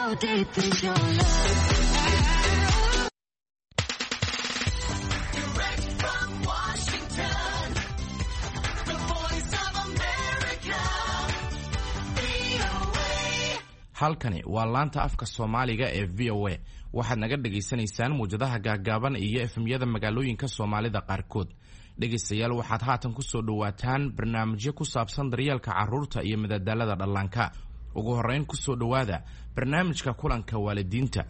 How deep is your love? Direct from Washington, the voice of America, VOA. Halkani waa laanta afka Soomaaliga ee VOA. Waxaad naga dhagaysanaysaan muwjadaha gaaggaaban iyo FM-yada magaalooyinka Soomaalida qaarkood. Dhegaystayaal, waxaad haatan ku soo dhowaataan barnaamijyo ku saabsan daryeelka carruurta iyo madadaalada dhallaanka. Ugu horrayn, ku soo dhowaada barnaamijka kulanka waalidiinta.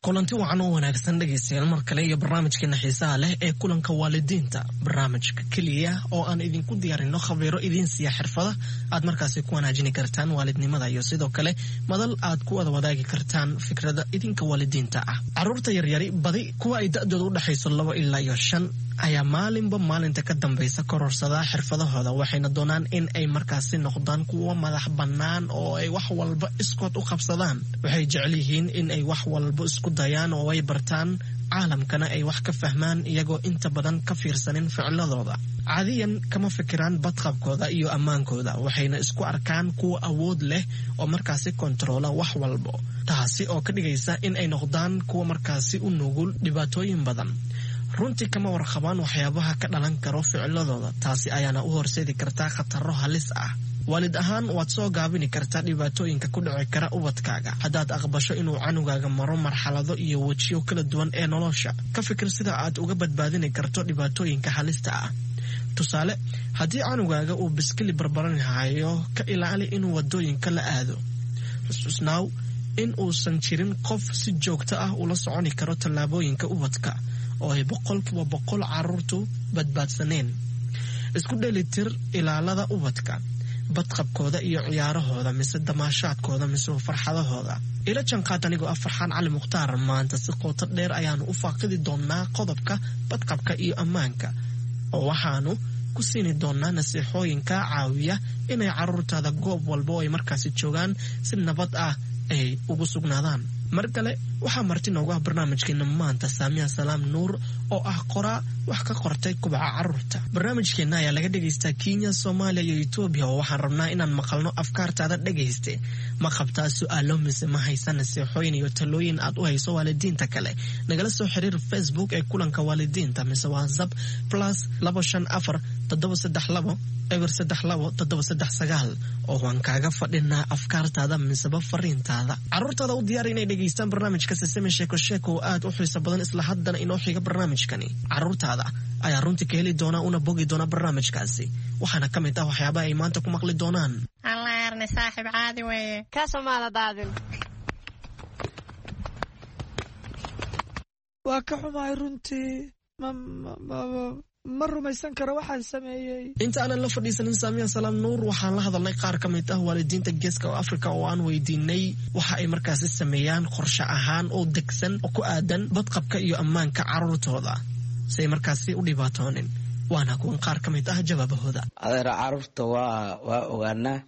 Kulanti wacan oo wanaagsan, dhegaystayaal, mar kale iyo barnaamijkeena xiisaha leh ee kulanka waalidiinta, barnaamijka keliya oo aan idinku diyaarino khabiiro idiin siiya xirfada aad markaasi ku wanaajini kartaan waalidnimada iyo sidoo kale madal aad ku wada wadaagi kartaan fikrada idinka waalidiinta ah. Caruurta yaryari, badi kuwa ay da-dooda u dhexayso 2 ilaa iyo 5, ayaa maalinba maalinta ka dambaysa kororsadaa xirfadahooda, waxayna doonaan in ay markaasi noqdaan kuwo madax bannaan oo ay wax walba iskood u qabsadaan. Waxay jecel yihiin in ay wax walba isku dayaan oo ay bartaan, caalamkana ay wax ka fahmaan, iyagoo inta badan ka fiirsanin ficiladooda. Caadiyan kama fikiraan badqabkooda iyo ammaankooda, waxayna isku arkaan kuwa awood leh oo markaasi kontaroola wax walbo, taasi oo ka dhigaysa in ay noqdaan kuwa markaasi u nugul dhibaatooyin badan. Runtii kama warqabaan waxyaabaha ka dhalan karo ficiladooda, taasi ayaana u horseedi kartaa khataro halis ah. Waalid ahaan, waad soo gaabini kartaa dhibaatooyinka ku dhici kara ubadkaaga haddaad aqbasho inuu canugaaga maro marxalado iyo wejiyo kala duwan ee nolosha. Ka fikir sida aad uga badbaadini karto dhibaatooyinka halista ah. Tusaale, haddii canugaaga uu biskili barbaranhayo, ka ilaali inuu wadooyinka la aado. Xusuusnaaw in uusan jirin qof si joogto ah ula soconi karo tallaabooyinka ubadka oo ay 100% caruurtu badbaadsaneen. Isku dheelitir ilaalada ubadka, badqabkooda iyo ciyaarahooda mise damaashaadkooda mise farxadahooda. Ila janqaad anigoo ah Farxaan Cali Mukhtaar. Maanta si qooto dheer ayaanu u faaqidi doonaa qodobka badqabka iyo ammaanka, oo waxaanu ku siini doonaa nasiixooyin kaa caawiya inay caruurtaada goob walba oo ay markaasi joogaan si nabad ah ay ugu sugnaadaan. Mar kale waxaa marti noogu ah barnaamijkeena maanta Saamiya Salaam Nuur, oo ah qoraa wax ka qortay kubaca caruurta. Barnaamijkeenna ayaa laga dhegaystaa Kenya, Soomaaliya iyo Etoobiya, oo waxaan rabnaa inaan maqalno afkaartaada. Dhegayste, ma qabtaa su-aalo mise ma haysa nasiixooyin iyo talooyin aad u hayso waalidiinta kale? Nagala soo xiriir Facebook ee kulanka waalidiinta mise WhatsApp +254 732 032 739, oo waan kaaga fadhinaa afkaartaada miseba fariintaada. Caruurtaada u diyaar inay dhegaystaan barnaamijka Sesame Sheeko Sheeko oo aad u xiiso badan. Isla haddana inoo xiga barnaamijkani, caruurtaada ayaa runtii ka heli doona una bogi doona barnaamijkaasi. Waxaana ka mid ah waxyaabaha ay maanta ku maqli doonaan: Allaarne, saaxiib, caadi weeye. Kaasoo maada daadin. Waa ka xumahay runtii, ma rumaysan karo waxaan sameeyey. Inta aanan la fadhiisanin Saamiya Salaam Nuur, waxaan la hadalnay qaar ka mid ah waalidiinta geeska oo Afrika, oo aan weydiinay waxa ay markaasi sameeyaan qorshe ahaan oo degsan oo ku aadan badqabka iyo ammaanka caruurtooda si ay markaasi u dhibaatoonin. Waana kuwan qaar ka mid ah jawaabahooda. Adeer, caruurta waa ogaanaa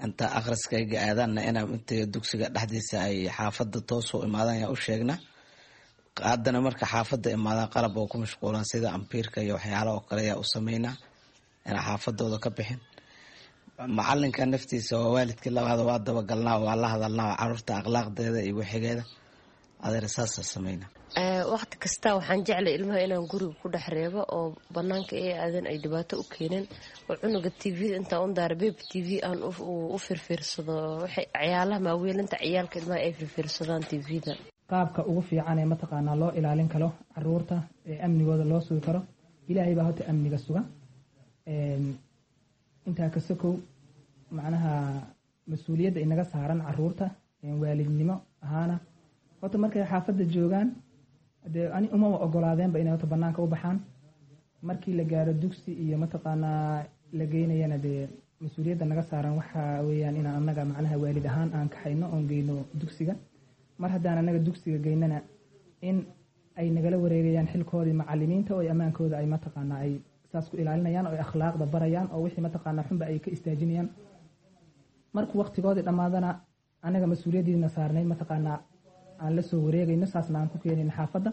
inta akhriskayga aadaanna inaa intay dugsiga dhexdiisa ay xaafadda toosoo imaadaan yaa u sheegnaa. Haddana marka xaafadda imaadaan, qalab oo ku mashquulan sida ambiirka iyo waxyaala oo kale yaa u sameynaa inaa xaafadooda ka bixin. Macalinka naftiisa waa waalidkii labaad, waa dabagalnaa, waa la hadalnaa caruurta akhlaaqdeeda iyo wixigeeda. Adeer, saasa sameynaa. Waqti kasta waxaan jeclay ilmaha inaan guriga ku dhex reebo oo banaanka ay aadan ay dhibaato u keenin, oo cunuga TV-da intaa un daara Baby TV aan u firfiirsado, waxay ciyaalaha maaweelinta ciyaalka ilmaha ay firfiirsadaan TV-da. Qaabka ugu fiican ee mataqaanaa loo ilaalin karo caruurta ee amnigooda loo sugi karo, Ilaahay baa horta amniga suga. Intaa ka sokow, macnaha mas-uuliyadda inaga saaran caruurta waalidnimo ahaana, horta markay xaafadda joogaan, dee ani umaba ogolaadeenba inay horta banaanka u baxaan. Markii la gaaro dugsi iyo mataqaanaa la geynayana, dee mas-uuliyadda naga saaran waxa weeyaan inaan annaga macnaha waalid ahaan aan kaxayno oon geyno dugsiga. Mar haddaan annaga dugsiga geynana, in ay nagala wareegayaan xilkoodii macalimiinta oo ay ammaankooda ay mataqaanaa ay saas ku ilaalinayaan oo ay akhlaaqda barayaan oo wixii mataqaanaa xunba ay ka istaajinayaan. Markuu waqtigoodii dhammaadana, annaga mas-uuliyaddiina saarnayd mataqaanaa aan la soo wareegayno, saasna aan ku keenayno xaafadda.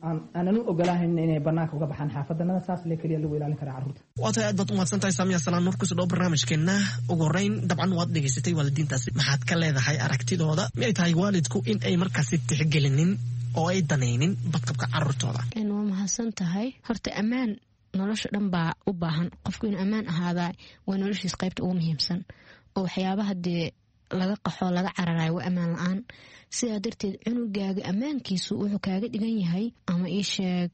Aanan u ogolaahayn inay banaanka uga baxaan xaafadanada. Saas le keliya lagu ilaalin karaa carruurta. Waa tahay, aad baad umahadsan tahay Saamiya Salaan Nuur. Kusoo dhawo barnaamijkeena. Ugu horeyn, dabcan waad dhegaysatay waalidiintaasi, maxaad ka leedahay aragtidooda? Miyay tahay waalidku in ay markaasi tixgelinin oo ay danaynin badqabka carruurtooda? Waa mahadsan tahay. Horta ammaan nolosha dhan baa u baahan. Qofku inuu ammaan ahaadaa waa noloshiis qaybta ugu muhiimsan, oo waxyaabaha dee laga qaxoo laga cararayo waa ammaan la-aan. Sidaa darteed cunugaaga ammaankiisu wuxuu kaaga dhigan yahay ama ii sheeg,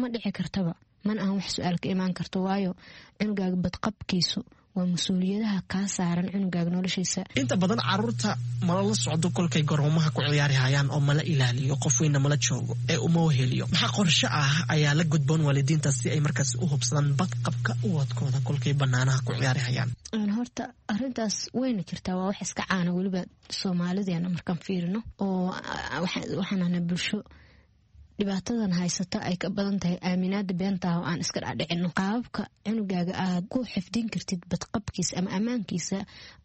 ma dhici kartaba, mana ahan wax su-aal ka imaan karto, waayo cunugaaga badqabkiisu waa mas-uuliyadaha kaa saaran cunugaaga noloshiisa. Inta badan caruurta mala la socdo kolkay garoomaha ku ciyaari hayaan oo mala ilaaliyo, qof weynna mala joogo ee uma weheliyo. Maxaa qorshe ah ayaa la gudboon waalidiinta si ay markaas u hubsadaan badqabka ubadkooda kolkay banaanaha ku ciyaari hayaan? Horta arintaas wayna jirtaa, waa wax iska caana weliba soomaalideena markaan fiirino, oo waxaan ahnaa bulsho dhibaatadan haysata ay ka badan tahay aaminaada beentaah oo aan iska dhadhicino. Qaababka cunugaaga aad ku xifdin kartid badqabkiisa ama ammaankiisa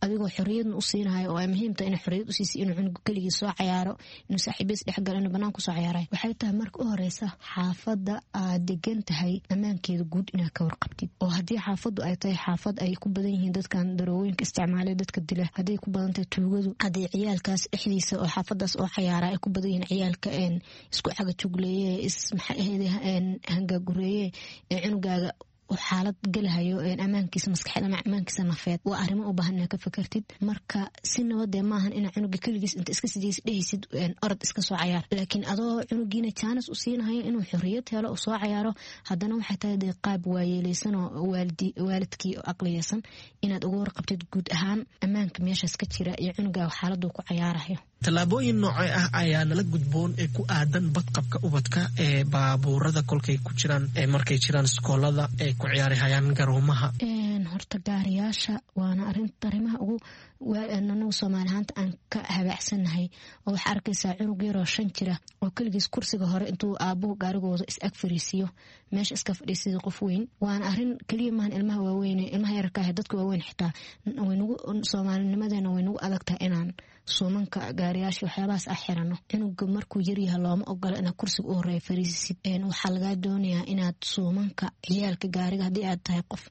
adigoo xoriyadna u siinahayo, oo ay muhiimta ina xoriyad usiisa, inuu cunugu keligii soo cayaaro, inuu saaxiibiis dhexgalo, inuu banaan kusoo cayaarayo, waxay tahay marka u horeysa xaafadda aad degan tahay ammaankeeda guud inaad ka warqabtid. Oo haddii xaafaddu ay tahay xaafad ay ku badan yihiin dadkan daroowooyinka isticmaalay, dadka dila, hadday ku badan tahay tuugadu, hadday ciyaalkaas dhexdiisa oo xaafadaas oo cayaara ay ku badan yihiin ciyaalka isku cagajugleeye, hangaagureeye, ee cunugaaga xaalad gelahayo ammaankiisa maskaxeed ama ammaankiisa nafeed, waa arrimo u baahan inaad ka fakartid. Marka si nabadee maahan inaa cunuga keligiis inta iska sidiis dhehaysid orod iska soo cayaar, laakiin adoo cunugiina jaanis u siinahayo inuu xorriyad helo oo soo cayaaro, haddana waxay tahay dee qaab waayeeleysan oo waalidkii oo aqliyeysan inaad uga warqabtid guud ahaan ammaanka meeshaas ka jira iyo cunugaaga xaaladuu ku cayaarayo. Tallaabooyin noocee ah ayaa nala gudboon ee ku aadan badqabka ubadka ee baabuurada kolkay ku jiraan, ee markay jiraan iskoolada, ee ku ciyaari hayaan garoomaha? Horta gaariyaasha waana arrimaha ugu anagu soomaali ahaanta aan ka habaacsanahay, oo waxaa arkaysaa cunug yaroo 5 jira oo keligiis kursiga hore intuu aabuhu gaarigooda is ag fariisiiyo, meesha iska fadhiisida qof weyn. Waana arrin keliya maahan ilmaha waaweyn, ilmaha yararka ah, dadka waaweyn xitaa waynagu soomaalinimadeena way nagu adag tahay inaan suumanka gaariyaasha waxyaabahaas ah xirano. Cunuga markuu yaryaha looma ogola inaad kursiga u horeeya fariisisid. Waxaa lagaa doonayaa inaad suumanka ciyaalka gaariga, haddii aad tahay qof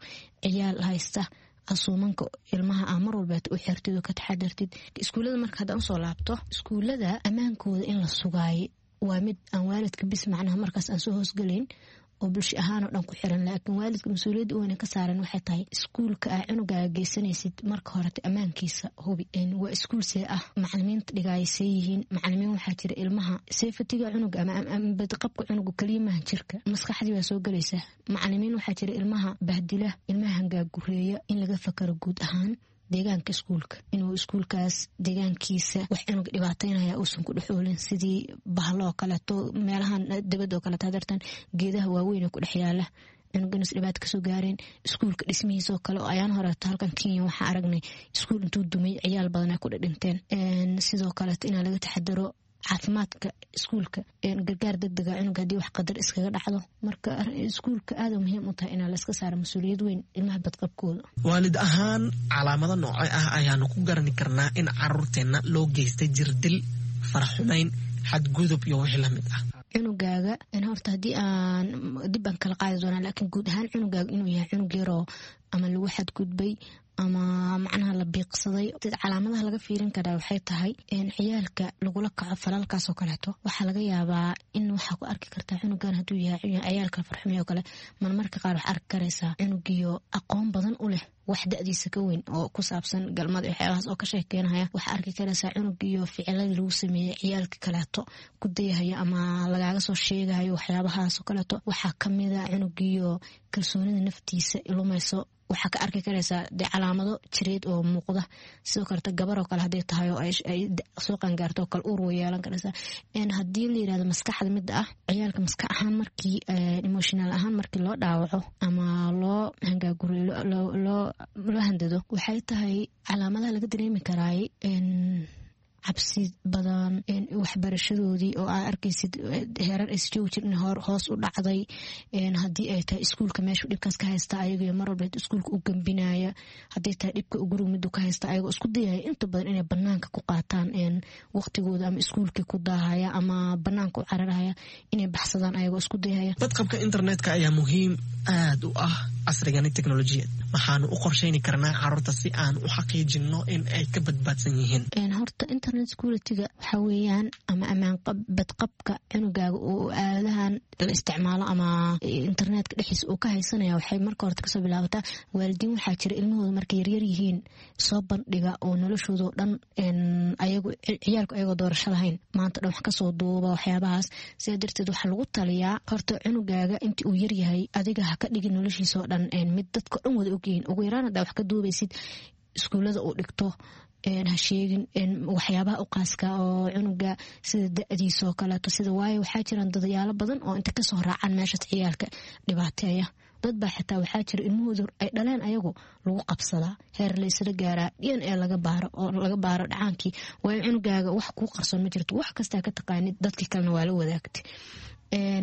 ciyaal haysta, suumanka ilmaha aa mar walbeet u xirtid oo ka taxadartid. Iskuullada marka haddaan usoo laabto, iskuullada ammaankooda in la sugaayo waa mid aan waalidka bis macnaha markaas aan soo hoosgelayn oo bulsho ahaanoo dhan ku xiran, laakiin waalidka mas-uuliyadda weyna ka saaran waxay tahay iskuulka aa cunugaaga geysanaysid marka horete ammaankiisa hubi. Waa iskuul see ah? Macalimiinta dhigaaya see yihiin? Macalimiin waxaa jira ilmaha safety-ga cunuga ama badqabka cunuga keliya maaha jirka, maskaxdii baa soo gelaysa. Macalimiin waxaa jira ilmaha bahdila, ilmaha hangaagureeya. In laga fakaro guud ahaan deegaanka iskuulka, inuu iskuulkaas deegaankiisa wax cunuga dhibaateynaya uusan ku dhexoolin, sidii bahlo oo kaleeto, meelahan dabad oo kaleeto, hadartan geedaha waaweyn ee ku dhex yaala, cunuga inuus dhibaato kasoo gaareen. Iskuulka dhismihiisa oo kale, oo ayaan horeeto halkan Kenya waxaa aragnay iskuul intuu dumay ciyaal badan ay ku dhidhinteen. Sidoo kaleeto inaa laga taxadaro caafimaadka iskuulka, gargaar degdega cunuga haddii wax qadar iskaga dhacdo. Marka iskuulka aada muhiim u tahay inaa layska saaro mas-uuliyad weyn ilmaha badqabkooda. Waalid ahaan calaamado noocee ah ayaanu ku garani karnaa in caruurteenna loo geystay jirdil, faraxumayn, xadgudub iyo wixii lamid ah? Cunugaaga horta haddii aan dib baan kala qaadi doonaa, laakiin guud ahaan cunugaaga inuu yahay cunug yaroo ama lagu xadgudbay ama macnaha la biiqsaday, calaamadaha laga fiirin karaa waxay tahay ciyaalka lagula kaco falalkaas oo kaleeto. Waxaa laga yaabaa in waxaa ku arki kartaa cunugan hadduu yahay ciyaalka farxumey oo kale. Marmarka qaar waxaa arki karaysaa cunugiyo aqoon badan u leh wax da-diisa ka weyn oo ku saabsan galmada iyo waxyaabahaas oo ka sheekeynaya. Waxaa arki karaysaa cunugiyo ficiladii lagu sameeyey ciyaalka kaleeto ku dayahayo ama lagaaga soo sheegayo waxyaabahaas oo kaleeto. Waxaa kamida cunugiyo kalsoonida naftiisa lumayso. Waxaa ka arki karaysaa dee calaamado jireed oo muuqda. Sidoo kaleeto gabar oo kale hadday tahay oo ay soo qangaarto oo kale, uur way yeelan karaysaa. Haddii la yirahdo maskaxda midda ah, ciyaalka maskax ahaan markii emotional ahaan markii loo dhaawaco ama loo hangaaguriyo, loo handado, waxay tahay calaamadaha laga dareemi karaay. Cabsi badan, waxbarashadoodii oo aa arkaysid heerar aysa joogi jirin hoos u dhacday. Haddii ay tahay iskuulka meeshuu dhibkaas ka haysta ayagoo mar walba iskuulka u gambinaya, hadday tahay dhibka guriga miduu ka haysta ayagoo isku dayaya inta badan inay banaanka ku qaataan waqtigooda, ama iskuulkii ku daahaya ama banaanka u cararahaya inay baxsadaan ayagoo isku dayaya. Badqabka internetka ayaa muhiim aad u ah casrigani teknolojiyad. Maxaanu u qorshayni karnaa caruurta si aan u xaqiijino in ay ka badbaadsan yihiin? Horta internet security-ga waxaa weeyaan ama amaan badqabka cunugaaga oo aaladahan la isticmaalo ama internetka dhexdiisa uu ka haysanaya, waxay marka horta kasoo bilaabataa waalidiin waxaa jira ilmahooda markay yaryar yihiin soo bandhiga oo noloshoodao dhan ayagu ciyaalku ayagoo doorasho lahayn maanta dhan wax kasoo duuba waxyaabahaas. Sidaa darteed waxaa lagu taliyaa horta cunugaaga intii uu yaryahay adiga ha ka dhigin noloshiisa oo dhan mid dadka dhan wada ogyihiin. Ugu yaraan haddaa wax ka duubaysid iskuullada uu dhigto ha sheegin, waxyaabaha u qaaska oo cunuga sida da-diisa oo kaleeto sida, waayo waxaa jiraan dadayaalo badan oo inta kasoo raacaan meeshaas ciyaalka dhibaateeya. Dad baa xitaa waxaa jira ilmahooda ay dhaleen ayagu lagu qabsadaa, heer laysla gaaraa DNA laga baaro oo laga baaro dhacaankii, waayo cunugaaga wax kuu qarsoon ma jirto, wax kastaa ka taqaanid dadkii kalena waa la wadaagtay.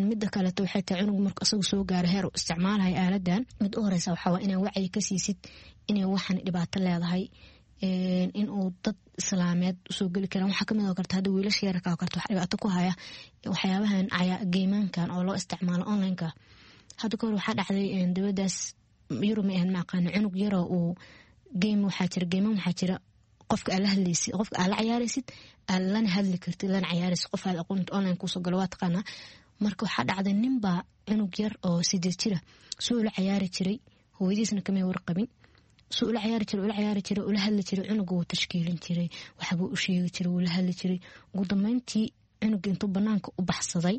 Mida kaleeto waxay tahay cunug marka isagu soo gaaro heer uu isticmaalaya aaladan, mid u horeysa waxaa waa inaa wacyi ka siisid inay waxan dhibaato leedahay, in uu dad islaameed usoo geli karaan. Waxaa kamid oo karta hadda wiilasha yararka oo karta wax dhibaato ku haya waxyaabahan geymaankan oo loo isticmaalo onlineka. Hadda kahor waxaa dhacday dowladaas Yurub ma ahan, ma aqaano, cunug yaroo uu game waxaa jira geymaan waxaa jira qofka aad la hadlaysid, qofka aad la cayaaraysid, aad lana hadli kartid lana cayaaraysid, qof aad aqoonta online kuusoo galo waa taqaanaa. Marka waxaa dhacday ninbaa cunug yar oo 8 jira suu ula cayaari jiray, hooyadiisna kamay warqabin, suu ula cayaari jiray, ula cayaari jiray, ula hadli jiray, cunuga wuu tashkiilin jiray, waxbuu u sheegi jiray, wuu la hadli jiray. Ugu dambeyntii cunuga intuu banaanka u baxsaday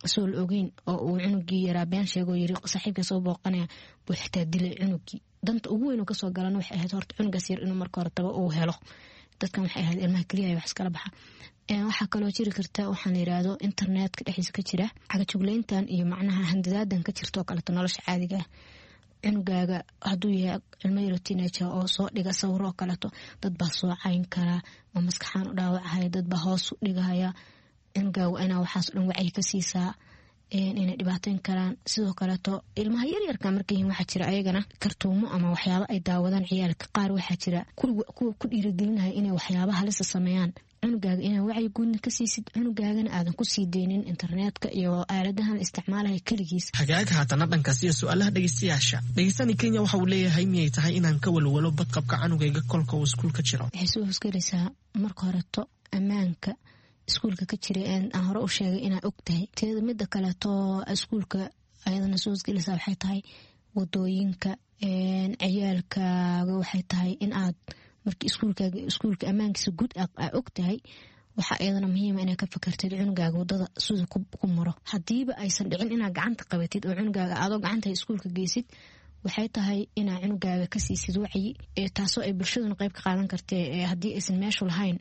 isagoo la ogeyn oo uu cunugii yaraa been sheegoo yiri saaxiibka soo booqanaya buu xitaa dilay cunugii. Danta ugu weyn oo kasoo galana waxay ahayd horta cunugaas yar inuu marka hore taba uu helo. Dadkan waxay ahayd ilmaha keliya wax iskala baxa. Waxaa kaloo jiri karta waxaan la yiraahdo internetka dhexdiisa ka jira cagajugleyntan iyo macnaha handadaadan ka jirta oo kaleeto nolosha caadiga ah. Cunugaaga hadduu yahay cilmo yaro teenager oo soo dhiga sawiro oo kaleeto, dad baa soo cayn karaa oo maskaxaan u dhaawacahaya, dad baa hoos u dhigahaya. Cunugaaga waa inaa waxaas o dhan wacyi ka siisaa inay dhibaateyn karaan. Sidoo kaleeto ilmaha yaryarka markay yihiin waxaa jira ayagana kartuumo ama waxyaaba ay daawadaan ciyaalka qaar, waxaa jira kuwa ku dhiirigelinaya inay waxyaaba halisa sameeyaan. Cunugaaga inaa wacyi guudna ka siisid, cunugaagana aadan kusii deynin internetka iyo aaladahan la isticmaalaya keligiis. Hagaag, haatana dhankaas iyo su-aalaha dhegeystayaasha. Dhegeystani Kenya waxa uu leeyahay, miyay tahay inaan ka walwalo badqabka canugayga kolka uu iskuulka jiro? Waxay soo hosgelaysaa marka horeto ammaanka iskuulka ka jira aan hore u sheegay inaa og tahay teeda. Mida kaleeto iskuulka ayadana soo hosgelaysaa waxay tahay wadooyinka ciyaalkaaga. Waxay tahay in aad markii iskuulkaaga iskuulka ammaankiisa guud aa og tahay, waxaa iyadana muhiima inaad ka fakartid cunugaaga wadada sida ku maro. Hadiiba aysan dhicin inaad gacanta qabatid oo cunugaaga adoo gacanta iskuulka geysid, waxay tahay inaa cunugaaga ka siisid wacyi, taasoo ay bulshaduna qayb ka qaadan kartee. Haddii aysan meeshu lahayn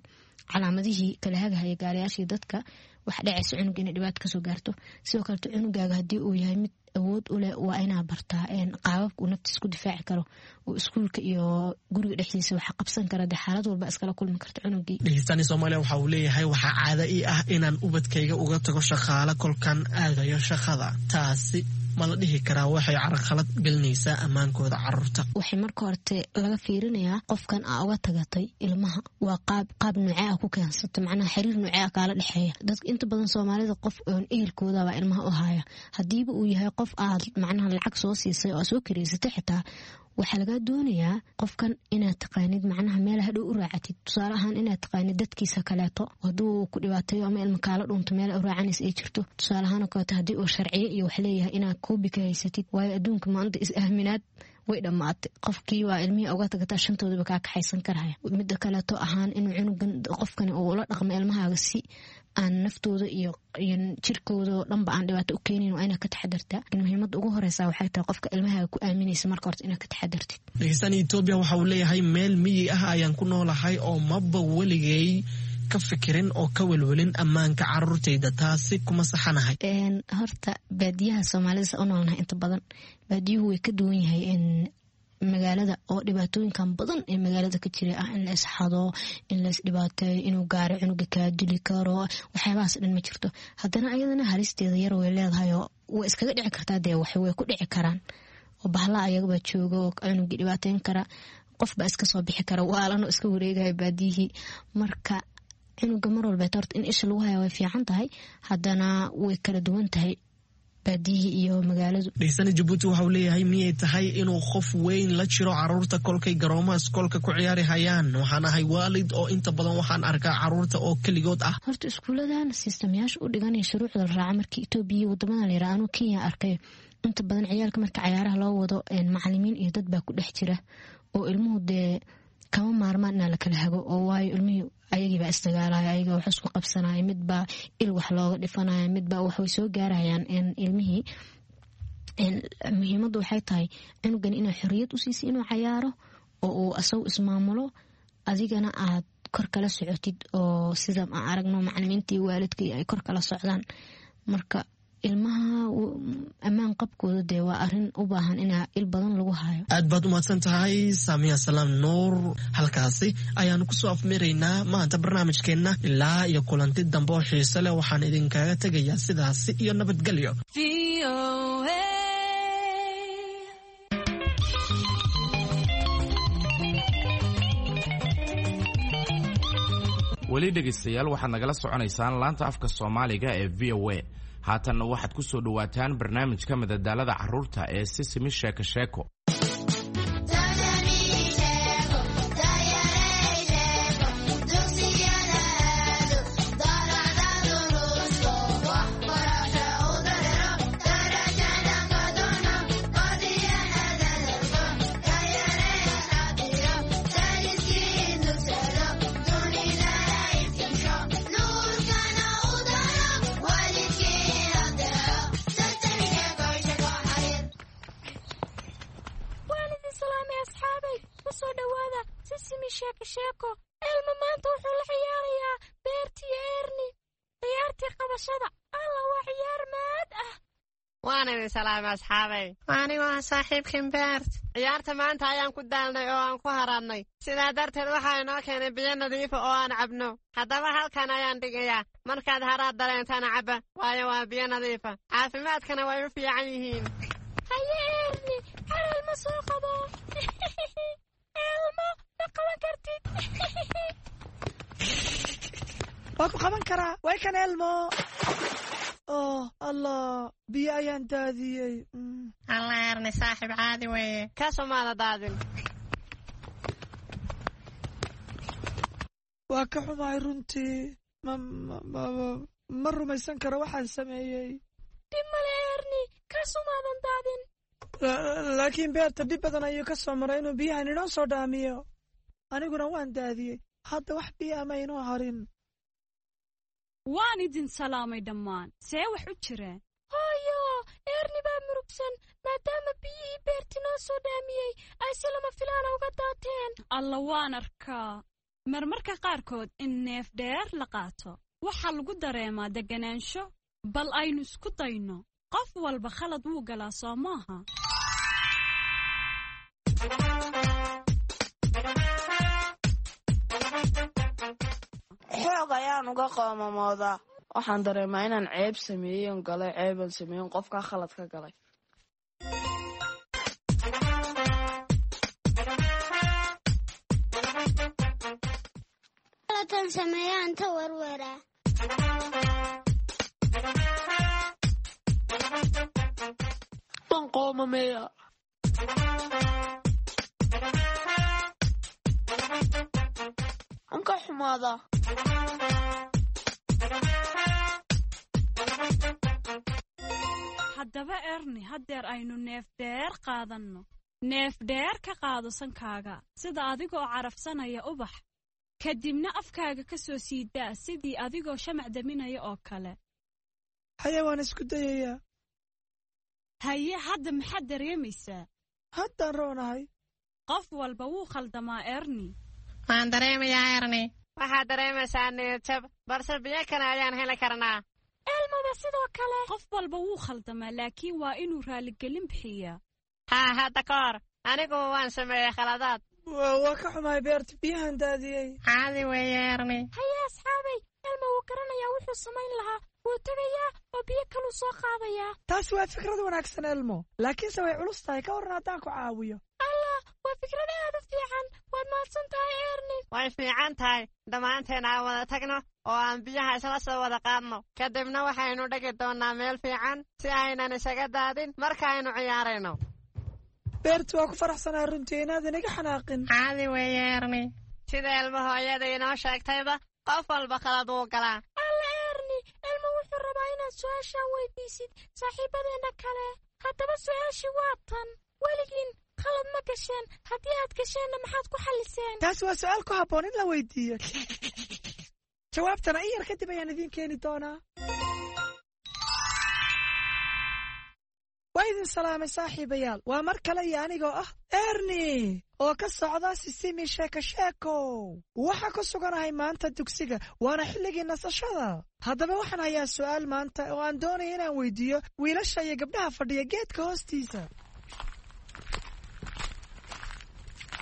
calaamadihii kala hagahaya gaariyaashii dadka, wax dhacaysa cunuga inay dhibaato kasoo gaarto. Sidoo kaleto cunugaaga haddii uu yahay mid awood u leh, waa inaa bartaa qaababka uu naftiisa ku difaaci karo oo iskuulka iyo guriga dhexdiisa waxa qabsan kara, dee xaalad walba iskala kulmi karta cunugii. Dhegeystani Soomaaliya waxa uu leeyahay, waxaa caada ii ah inaan ubadkayga uga tago shaqaale kolkan aadayo shaqada, taasi ma la dhihi karaa waxay carqalad gelinaysaa ammaankooda caruurta? Waxay marka horte laga fiirinayaa qofkan aa uga tagatay ilmaha waa qaab qaab noocee ah ku keensata, macnaha xiriir noocee ah kaala dhexeeya. Dadka inta badan Soomaalida qof oon ehelkoodabaa ilmaha u haya. Hadiiba uu yahay qof aad macnaha lacag soo siisay oo aad soo kareysatay, xitaa waxaa lagaa doonayaa qofkan inaad taqaanid, macnaha meel hadhow u raacatid, tusaale ahaan inaad taqaanid dadkiisa kaleeto, hadduu ku dhibaateeyo ama ilma kaala dhunto meel u raacanaysa ay jirto. Tusaale ahaan oo kaleeto haddii uu sharciyo iyo wax leeyahay inaad koobi ka haysatid, waayo adduunka maanta is aaminaad way dhammaatay. Qofkii waa ilmihii uga tagataa shantoodaba kaa kaxaysan karaya. Mida kaleeto ahaan inuu cunugan qofkani uu ula dhaqmo ilmahaaga si aan naftooda iyo jirkooda oo dhanba aan dhibaato u keenin waa inaad ka taxadartaa. Muhiimada ugu horeysa waxay tahay qofka ilmahaaga ku aaminaysa marka horta inaad ka taxadartid. Dhegeystani Etoobiya waxa uu leeyahay, meel miyi ah ayaan ku noolahay oo maba weligay ka fikirin oo ka welwelin ammaanka caruurtayda, taasi kuma saxanahay? Horta baadiyaha Soomaalida sa u noolnahay inta badan baadiyuhu way ka duwan yahay. Magaalada oo dhibaatooyinkan badan ee magaalada ka jira ah, in la isxado, in la isdhibaateeyo, inuu gaari cunuga kaa dili karo, waxyaabahaas dhan ma jirto. Haddana ayadana halisteeda yar way leedahay oo way iskaga dhici kartaa, dee wax way ku dhici karaan oo bahla ayagabaa jooga oo cunugii dhibaateyn kara, qofbaa iska soo bixi kara waalanoo iska wareegaya baadiyihii. Marka cunuga mar walbeet horta in isha lagu haya way fiican tahay, haddana way kala duwan tahay baadiyihii iyo magaaladu. Dheysane Jabuuti waxauu leeyahay, miyay tahay inuu qof weyn la jiro caruurta kolkay garoomaha iskoolka ku ciyaari hayaan? Waxaan ahay waalid oo inta badan waxaan arkaa caruurta oo keligood ah. Horta iskuuladan sistamyaasha u dhiganaya shuruucda la raaca markii Itoobiya iyo wadamadan la yiraha, anuu Kenya arkay, inta badan ciyaalka marka cayaaraha loo wado macalimiin iyo dad baa ku dhex jira oo ilmuhu dee kama maarmaan inaa la kala hago oo waayo ilmihii ayagiibaa isdagaalaya, ayaga wax isku qabsanaya, midbaa il wax looga dhifanaya, midbaa wax way soo gaarayaan ilmihii. Muhiimaddu waxay tahay cunugan inaa xoriyad u siisay inuu cayaaro oo uu asagu ismaamulo, adigana aad kor kala socotid oo sida aan aragno macalimiintii waalidkii ay kor kala socdaan. Marka ilmaha ammaan qabkooda dee waa arin u baahan inaa il badan lagu hayo. Aad baad umahadsan tahay, Saamiya Salaam Nuur. Halkaasi ayaanu kusoo afmiraynaa maanta barnaamijkeenna. Ilaa iyo kulanti dambe oo xiise leh, waxaan idinkaga tegayaa sidaasi iyo nabadgelyo. Weli dhegaystayaal, waxaad nagala soconaysaan laanta afka Soomaaliga ee VOA. Haatanna waxaad ku soo dhowaataan barnaamijka madadaalada carruurta ee Sisimi Sheeko Sheeko. Waan idin salaamay asxaabay, ku soo dhowaada Sisimi Sheeko Sheeko. Elma maanta wuxuu la ciyaarayaa Beertii Erni ciyaartii qabashada. Alla, waa ciyaar maad ah! Waan idin salaamay asxaabay. Anigu ah saaxiibkan Beert. Ciyaarta maanta ayaan ku daalnay oo aan ku haraadnay, sidaa darteed waxaa inoo keenay biyo nadiifa oo aan cabno. Haddaba halkan ayaan dhigayaa, markaad haraad dareentaan cabba, waayo waa biyo nadiifa, caafimaadkana way u fiican yihiin. Haye Erni, har Elma soo qabo. Elmo, ma qaban kartid. Waa ku qaban karaa, way kan Elmo. Oh Allah, biyo ayaan daadiyey. Alla Erni, saaxiib caadi weeye. Kasumaada daadin. Waa ka xumahay runtii. Ma rumaysan karo waxaan sameeyey. Dhib male Erni, kasumaadan daadin. Laakiin Beerta dhib badan ayuu ka soo maray inuu biyahan inoo soo dhaamiyo, aniguna waan daadiyey. Hadda wax biyo ama inoo harin. Waan idin salaamay dhammaan. See wax u jireen? Hooyo, Erni baa murugsan maadaama biyihii Beerti noo soo dhaamiyey ay si lama filaana uga daateen. Alla, waan arkaa. Marmarka qaarkood in neef dheer la qaato waxaa lagu dareemaa deganaansho. Bal aynu isku dayno. Qof walba khalad wuu galaa, soo maaha? Xoog ayaan uga qoomamoodaa. Waxaan dareemaa inaan ceeb sameeyen galay, ceeban sameeyen, qofkaa khalad ka galay. Khaladkan sameeyaan ta warwaraa. Waan qoomameeya. Waan ka xumaadaa. Haddaba Erni, haddeer aynu neef dheer qaadanno. Neef dheer ka qaado sankaaga sida adigoo carafsanaya ubax, kadibna afkaaga ka soo sii daa sidii adigoo shamac daminaya oo kale. Haye, waan isku dayayaa. Haye, hadda maxaad dareemaysaa? Haddaan roonahay. Qof walba wuu khaldamaa, Erni. Waan dareemayaa Erni, waxaad dareemaysaa niyadjab, balse biyo kale ayaan heli karnaa. Elmaba sidoo kale. Qof walba wuu khaldamaa, laakiin waa inuu raaligelin bixiyaa. Haa, hadda ka hor. Aniguba waan sameeyey khaladaad. Waa ka xumahay Beert, biyahan daadiyey. Caadi weeye, Erni. Haye asxaabay, Elmo wuu garanayaa wuxuu samayn lahaa. Wuu tegayaa oo biyo kaluu soo qaadayaa. Taasi waa fikrad wanaagsan, Elmo, laakiinse way culus tahay. Ka warran haddaan ku caawiyo? Allah, waa fikrad aad u fiican. Waad mahadsan tahay, Erni. Way fiican tahay. Dhammaanteen aan wada tagno oo aan biyaha isla soo wada qaadno. Kadibna waxaynu dhigi doonnaa meel fiican si aynan isaga daadin markaaynu ciyaarayno. Beert, waa ku faraxsanahay runtii inaadan iga xanaaqin. Caadi weeye, Erni. Sida Elmo hooyada inoo sheegtayba, qof walba khalad wuu galaa. Alla Erni, Elmo wuxuu rabaa inaad su-aashaan weydiisid saaxiibadeenna kale. Haddaba su-aashii waa tan: weligiin khalad ma gasheen? Haddii aad gasheenna, maxaad ku xalliseen? Taasi waa su-aal ku habboon in la weydiiyo. Jawaabtana in yar kadib ayaan idiin keeni doonaa. Waa idin salaamay, saaxiibayaal. Waa mar kale iyo anigoo ah Erni oo ka socda Sisimi Sheeko Sheeko. Waxaa ku suganahay maanta dugsiga, waana xilligii nasashada. Haddaba waxaan hayaa su'aal maanta oo aan doonaya inaan weydiiyo wiilasha iyo gabdhaha fadhiya geedka hoostiisa.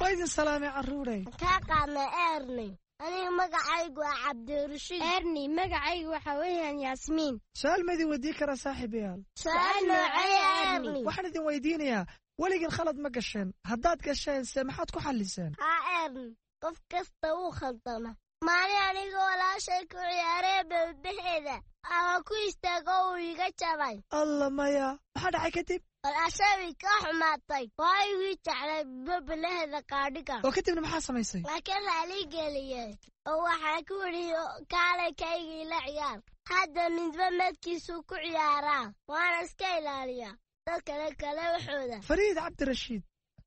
Waa idin salaamay, carruurey. Kaa qaadnay, Erni. Aniga magacaygu waa Cabdirashiid. Erni, magacaygu waxa weeyaan Yaasmiin. Su-aal ma idin weydiin karaa, saaxiibayaal? Su-aal noocee, Erni? Waxaan idin weydiinayaa, weligin khalad ma gasheen? Haddaad gasheen se, maxaad ku xalliseen? Haa Erni, qof kasta wuu khaldama. Maalin aniga walaashay ku ciyaaree bebeheeda ama ku istaago, uu iga jabay. Alla maya, maxaa dhacay kadib? Walaashay ka xumaatay, waa igii jeclay bebelaheeda qaadhiga. Oo kadibna maxaa samaysay? Laakiin raali geliyey oo waxaa ku yidhi, kaalay kaygii la ciyaar. Hadda midba medkiisuu ku ciyaaraa, waana iska ilaaliyaa dad kale kale waxooda. Fariid Cabdirashiid,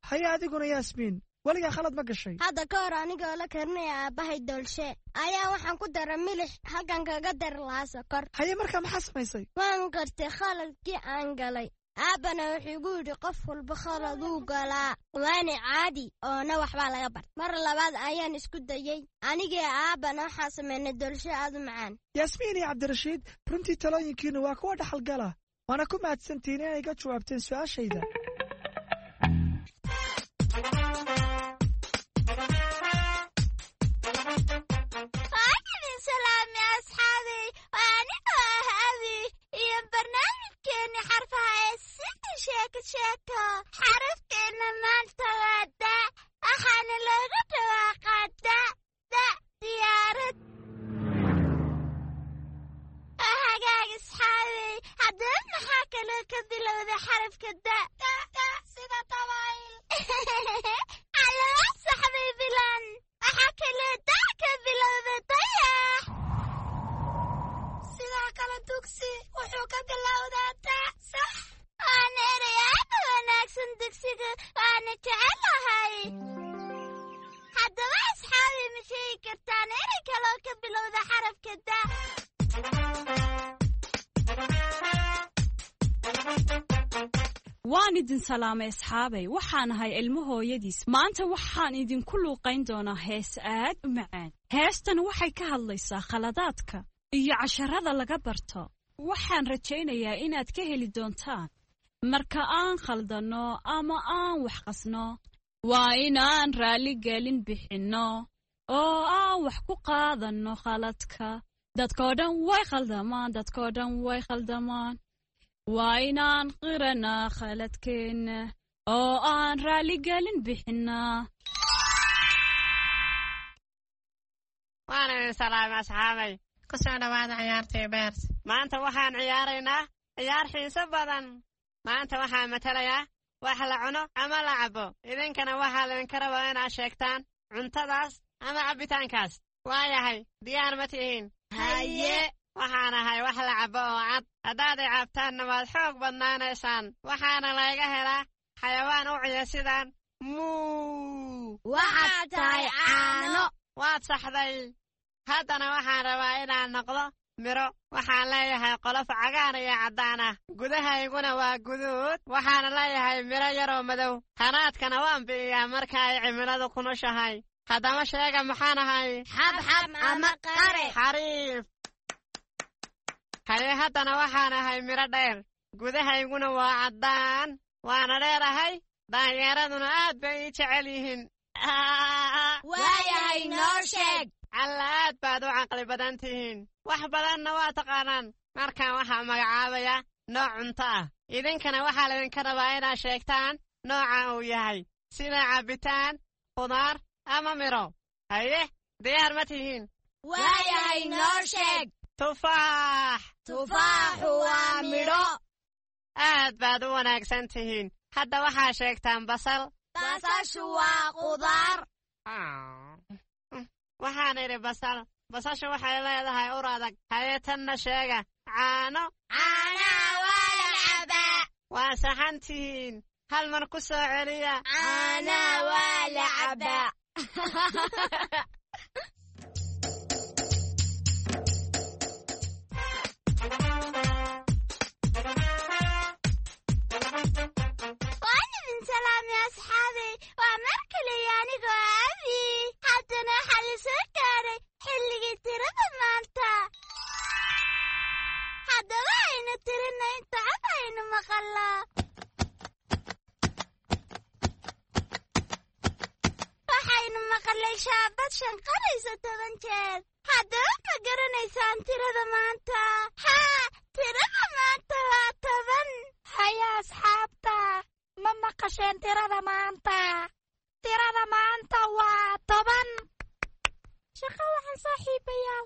haye adiguna Yaasmiin, weligaa khalad ma gashay? Hadda ka hor anigoo la karinaya aabbahay doolshe ayaa waxaan ku dara milix halkan kaga dari lahaa sokor. Haye, markaa maxaa samaysay? Waan gartay khaladkii aan galay. Aabbana wuxuu igu yidhi, qof walba khaladuu galaa, waana caadi oona waxbaa laga barta. Mar labaad ayaan isku dayey anigii aabbana waxaan samaynay doolsho aad u macaan. Yaasmiin iyo Cabdirashiid, runtii talooyinkiinnu waa kuwa dhaxalgala, waana ku mahadsantihiin inay ga jawaabteen su-aashayda. Waan idin salaamay, asxaabay. Waa anigoo ah Abi iyo barnaamijkeenni xarfaha ee Sidi Sheeko Sheeko. Xarafkeenna maanta waa da, waxaana looga dhawaaqaa da da, diyaarad. Hagaag asxaabay, haddaba maxaa kaloo ka bilowda xarafka da? Sida dabayl. Calama saxbay bilan. Waxaa kaloo da ka bilowda dayax. Sidoo kale dugsi wuxuu ka bilowdaa da, sax. Waana erey aad u wanaagsan dugsiga, waana jecelahay. Haddaba asxaabi, ma sheegi kartaan erey kaloo ka bilowda xarafka da? Waan idin salaamay, asxaabay. Waxaan ahay Ilmo hooyadiis. Maanta waxaan idinku luuqayn doonaa hees aad u macaan. Heestan waxay ka hadlaysaa khaladaadka iyo casharada laga barto. Waxaan rajaynayaa inaad ka heli doontaan. Marka aan khaldanno ama aan wax qasno, waa inaan raalligelin bixinno oo aan wax ku qaadanno khaladka. Dadkoo dhan way khaldamaan, dadkoo dhan way khaldamaan. Waa inaan qiranaa khaladkeenna oo aan raalligelin bixinnaa. Waan idin salaamay, asxaabay. Ku soo dhowaada ciyaartii Beers. Maanta waxaan ciyaaraynaa ciyaar xiiso badan. Maanta waxaan matalayaa wax la cuno ama la cabo. Idinkana waxaa laydinka rabaa inaad sheegtaan cuntadaas ama cabbitaankaas. Waayahay, diyaar ma tihiin? Haye. Waxaan ahay wax la cabo oo cad. Haddaad i cabtaanna, waad xoog badnaanaysaan. Waxaana layga helaa xayawaan u ciya sidaan muu. Waxaad tahay caano. Waad saxday. Haddana waxaan rabaa inaan noqdo miro. Waxaan leeyahay qolof cagaar iyo caddaan ah, gudahayguna waa guduud. Waxaana leeyahay miro yaroo madow. Hanaadkana waan bi'iyaa marka ay cimiladu kunushahay. Haddaba sheega, maxaan ahay? Xabxab ama qare. Xariif. Haye, haddana waxaan ahay miro dheer, gudahayguna waa caddaan, waana dheerahay. Daanyeeraduna aad bay ii jecel yihiin. Waayahay, noo sheeg. Alla, aad baad u caqli badan tihiin, wax badanna waa taqaanaan. Markaan waxaa magacaabaya nooc cunto ah, idinkana waxaa laydinka rabaa inaad sheegtaan nooca uu yahay, sida cabbitaan, khudaar ama midho. Haye, diyaar ma tihiin? Waayahay, noo sheeg. Tufaax. Tufaaxu waa midho. Aad baad u wanaagsan tihiin. Hadda waxaa sheegtaan basal. Basashu waa khudaar. Waxaan idhi basal. Basashu waxay leedahay ur adag. Haye, tanna sheega: caano. Caanaha waa la cabaa. Waa saxan tihiin. Hal mar ku soo celiya. Caanaha waa la cabaa. Waan idin salaamay, asxaabay. Waa mar kale iyo anigoo Abi. Haddana waxaa la soo gaaray xilligii tirada maanta. Haddaba aynu tirina inta cod aynu maqallo. Waxaynu maqalay shaabad shanqaraysa 10 jeer. Haddaba ma garanaysaan tirada maanta? Haa, tirada maanta waa 10. Haya asxaabta, ma maqasheen tirada maanta? Tirada maanta waa 10. Shaqo waxaan, saaxiibayaal.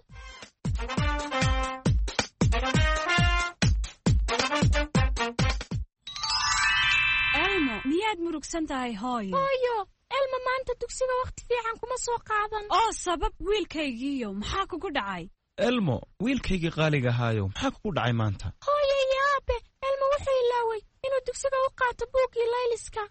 Elmo, miyaad murugsan tahay, hooyo? Hooyo, Elma maanta dugsiga wakhti fiican kuma soo qaadan. Oo sabab, wiilkaygiiyo, maxaa kugu dhacay? Elmo, wiilkaygii qaaliga ahaayo, maxaa kugu dhacay maanta? Hooyo iyo aabe, Elma wuxuu ilaaway inuu dugsiga u qaato buuggii layliska.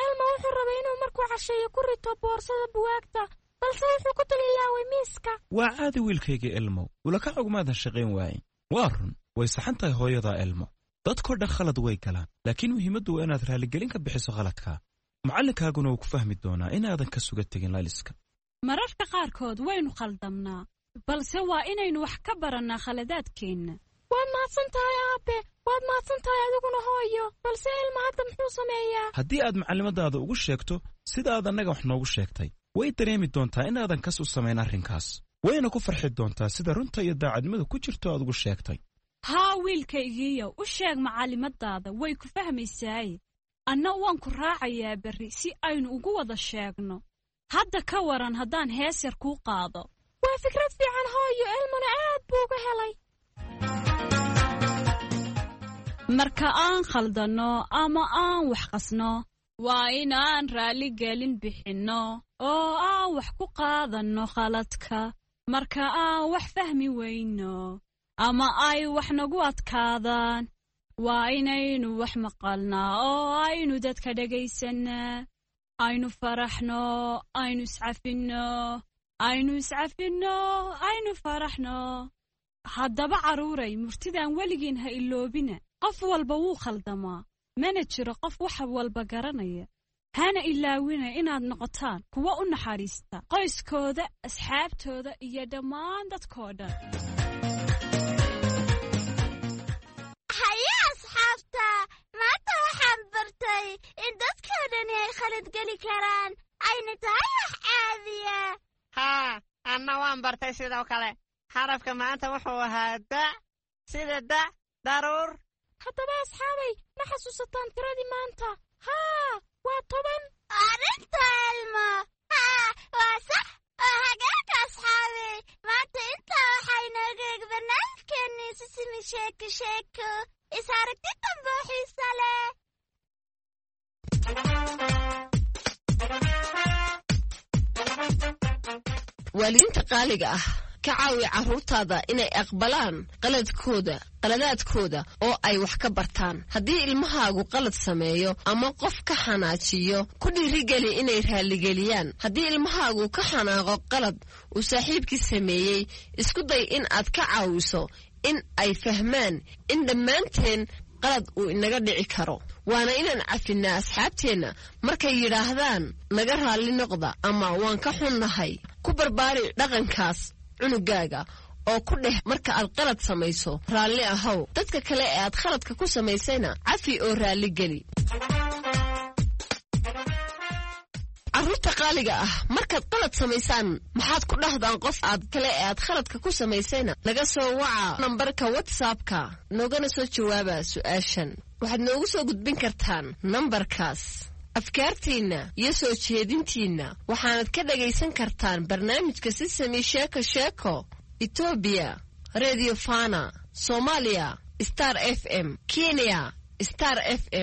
Elma wuxuu rabay inuu markuu casheeyo ku rito boorsada buwaagta, balse wuxuu ku dul ilaaway miiska. Waa caadi, wiilkaygii Elmo, ulakac ugumaadan shaqayn waaye. Waa run, way saxan tahay hooyadaa, Elmo. Dadkoo dhan khalad way galaan, laakiin muhiimaddu waa inaad raaligelin ka bixiso khaladka. Macallinkaaguna wuu ku fahmi doonaa inaadan ka suga tegin layliska. Mararka qaarkood waynu khaldamnaa, balse waa inaynu wax ka barannaa khaladaadkeenna. Waad mahadsan tahay, aabe. Waad mahadsan tahay adiguna, hooyo. Balse Elma hadda muxuu sameeyaa? Haddii aad macallimadaada ugu sheegto sida aad annaga wax noogu sheegtay, way dareemi doontaa inaadan kas u samayn arrinkaas, wayna ku farxi doontaa sida runta iyo daacadnimada ku jirto aad ugu sheegtay. Haa, wiilkaygiiyo, u sheeg macallimadaada, way ku fahmaysaaye. Anna waan ku raacayaa berri si aynu ugu wada sheegno. Hadda ka waran haddaan hees yar kuu qaado? Waa fikrad fiican, hooyo. Elmana aad buu uga helay. Marka aan khaldanno ama aan wax qasno, waa inaan raalligelin bixinno oo aan wax ku qaadanno khaladka. Marka aan wax fahmi weyno ama ay wax nagu adkaadaan, waa inaynu wax maqalnaa oo aynu dadka dhegaysanaa. Aynu faraxno, aynu iscafinno, aynu iscafinno, aynu faraxno. Haddaba carruuray, murtidan weligiin ha iloobina: qof walba wuu khaldamaa, mana jiro qof wax walba garanaya. Hana ilaawina inaad noqotaan kuwa u naxariista qoyskooda, asxaabtooda iyo dhammaan dadkoo dhan. Haye asxaabta, maanta waxaan bartay in dadkoo dhani ay khalad geli karaan, ayna tahay wax caadiya. Haa, anna waan bartay sidoo kale. Xarafka maanta wuxuu ahaa da, sida da daruur. Haddaba asxaabay, ma xasuusataan tiradii maanta? Haa, waa 10. Arrinta Elmo, haa, waa sax oo hagaagka. Asxaabay, maanta intaa waxaa inooga eg barnaamijkeennii Sisimi Sheeko Sheeko. Is aragti dambe oo xiisa leh. Waalidiinta qaaliga ah, ka caawi carruurtaada inay aqbalaan qaladkooda, qaladaadkooda oo ay wax ka bartaan. Haddii ilmahaagu qalad sameeyo ama qof ka xanaajiyo, ku dhiirigeli inay raaligeliyaan. Haddii ilmahaagu ka xanaaqo qalad uu saaxiibkii sameeyey, isku day in aad ka caawiso in ay fahmaan in dhammaanteen qalad uu inaga dhici karo, waana inaan cafinaa asxaabteenna markay yidhaahdaan "naga raalli noqda" ama "waan ka xunnahay". Ku barbaari dhaqankaas cunugaaga oo ku dheh: "Marka aad qalad samayso, raalli ahow." Dadka kale ee aad khaladka ku samaysayna cafi oo raalli geli. Qaaliga ah, markaad qalad samaysaan maxaad ku dhahdaan qof aad kale ee aad khaladka ku samaysayna? Naga soo waca nambarka WhatsAppka, noogana soo jawaaba su-aashan. Waxaad noogu soo gudbin kartaan nambarkaas afkaartiinna iyo soo jeedintiinna. Waxaanad ka dhagaysan kartaan barnaamijka Sisami Sheeko Sheeko Etoobiya Radio Fana, Soomaaliya Star FM, Kenya Star FM.